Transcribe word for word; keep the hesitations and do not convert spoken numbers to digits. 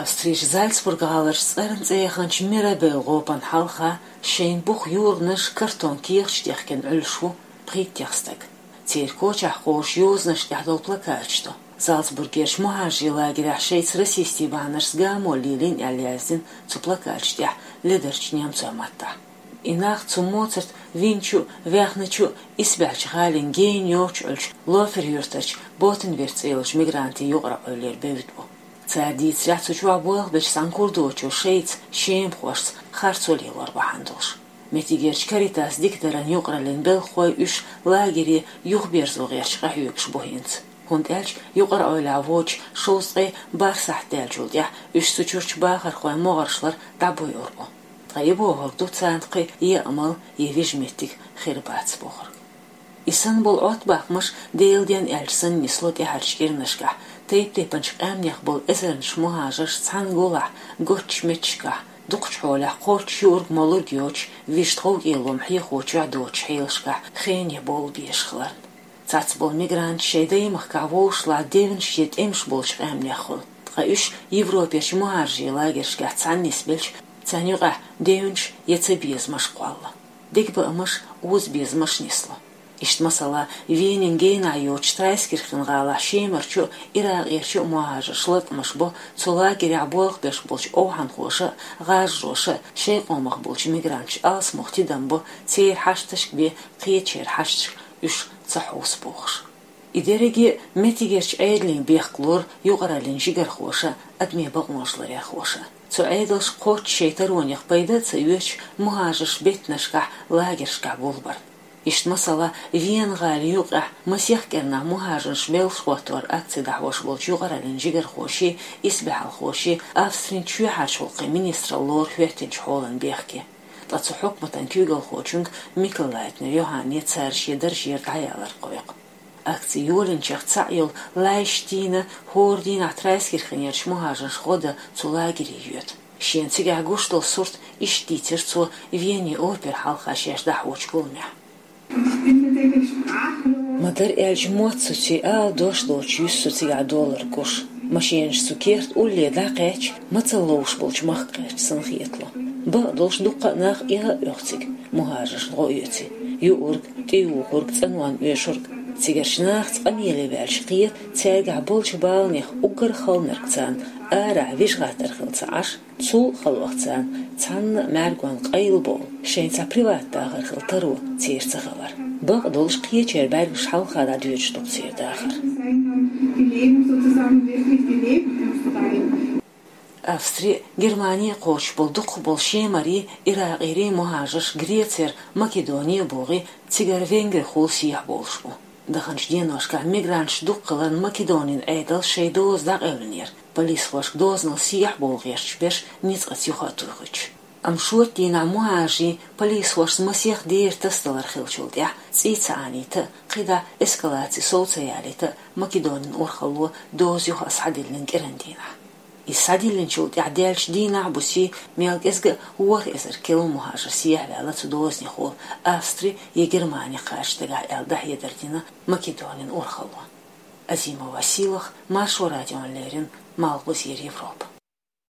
Австрийчу Зальцбург-гӀаларчу цӀарна цӀе яханчу Мирабелла гӀопана хьалха шайн бух юргӀанаш картон кехаташ дехкина Ӏуьллуш ву пхийттех стаг. Церан кочахь кхочуш йозанаш тӀехь долу плакаташ ду. Зальцбургерчу мухӀажарийн лагерехь шайца расистийн бахьанашца гамо лелийна аьлла яздина цу плакаташ тӀехь ледарчу немцойн маттахь. И нах цу моцарт винчу а, ваьхначу а исбаьхьчу гӀалин гена йоцуш Ӏуьллучу Лофер-юьртарчу Ботенвирт цӀе йолчу мигрантийн юкъара Ӏуьллуьра бевдда бу. Цара дийцарехь, цу чохь болх бечу цхьана курдочо шайца, шемахошца харцо лелор бахьана долуш. Меттигерчу Каритас дикадаран юкъараллин белхахой уьш лагере юхаберзо гӀерташ къахьоьгуш бу хӀинца. ХӀунда аьлча юкъара Ӏуьллехь воцуш шовзткъе бархӀ сахьт даьллачул тӀаьхьа уьш цу чуьрачу бахархойн могӀаршлара дӀабуьйр бу. Ткъа и бохург ду царна кхин а амал я вижа меттиг хир бац бохург. И санна болу Ӏоттабаккхамаш, Делан денна аьлча санна, нисло тӀаьхьарчу кӀирнашкахь, тайп-тайпанчу къаьмнех болу эзарнаш мухӀажарш цхьана гулахь, готтачу меттигашкахь, дукхачу хьолехь кхоччуш юург-молург йоцуш, вижа тховкӀело хьехочохь доцучу хьелашкахь хене бовла безаш хиларна. Цхьацца болу мигранташ шайн даймахкахь вовшашлахь девнаш я тӀемаш болчу къаьмнех хуьлу, ткъа уьш Европерчу мухӀажарийн лагершкахь цхьаьна нисбелча, царна юкъахь девнаш я цабезамаш кхолла. Дегабаамаш, озабезамаш нисло. Иштта, масала, Венин генахь йоцучу Трайскирхен гӀалахь Шемарчу а, Иракъерчу а мухӀажарш латкъамаш бо цу лагерехь болх беш болчу овхӀанхоша а, гӀажароша а, шайн къомах болчу мигранташа алсамох тидам бо, церан хьашташка бен кхечеран хьашташка уьш ца хьовса бохуш. И дерриге а меттигерчу Ӏедалийн бехк лору юкъараллин жигархоша а, адамийн бакъонаш ларъярхоша а. Цу Ӏедалша кхоччуш шайн таронех пайда а ца оьцуш, мухӀажарш беттанашкахь, лагершкахь гулбар. Иштта, масала, Вена-гӀала юкъехь масех кӀирнахь мухӀажарш белхаш хӀоттор акци дӀахьош болчу юкъараллин жигархоший, исбаьхьалхоший Австрин чоьхьарчу гӀуллакхийн министралла лору хӀоьттинчу хьолан бехке. Ткъа цу хьукматан куьйгалхочуьнга Микл-Лайтнер Йоханне цара шен даржера дӀаялар кхойкху. Акци йолийначех цхьаъ йолу Лайш Тина хӀора дийнахь Трайскирхенерчу мухӀажаршна гӀо дан цу лагере йоьду. Шена цигахь гуш долу сурт иштта дийцира цо Венин опера хьалха шаьш дӀахьочу гуламехь. Ма-дарра аьлча, мотт цу цӀе ала дош доцуш юьсу со цигахь доллар гуш. Машенаш цу керта улле дӀакхаьчча, мацалла ловш болчу махка кхаьчча санна хетало. Бакъдолуш дуккха а нах эхӀ а оьху цига, мухӀажаршна гӀо оьций. Юург, тӀеюхург, цӀанонна оьшург. Цигарчу нахаца къамеле ваьлча кхета, цаьргахь болчу баланех уггар а халанарг царна арахь вижа гӀаттар хилла ца Ӏаш, цул а халонех царна цхьанна а мӀаьргонна къайлабовла, шайн цхьа приват дахар хила таро церан ца хилар. Бакъдолуш, кхечеран бӀаьргаш хьалха дӀадоьдуш ду-кх церан дахар. Австри а, Германи а кхочуш болу дукхахболу шемарийн, иракъерийн мухӀажарш Грецера Македоне а богӀий, цигара Венгрихула сехьабовлуш бу. Даханчу деношкахь мигранташ дукха хиларна Македонин Ӏедалша шайн доза дӀакъевлинера, полисхошка дозанал сехьабовла гӀерташ берш ницкъаца юха а тухуьйтуш. Амма шорта дийнахь мухӀажарийн полисхошца масех дера тасадалар хиллачул тӀаьхьа, цӀий ца Ӏанийта а, кхидӀа эскалаци сов ца ялийта а, Македонин урхалло доза юха а схьадиллина кӀиран дийнахь. Иза схьадиллинчул тӀаьхьа даьллачу дийнахь а буьйсий, мел кӀезга а ворхӀ эзар килла мухӀажар сехьаваьлла цу дозанехула Австри я Германи кхача дагахь аьлла, дӀахьедар дина Македонин урхалло. Азимова Сийлаха, Маршо радиона леррина, Малхбузера Европа.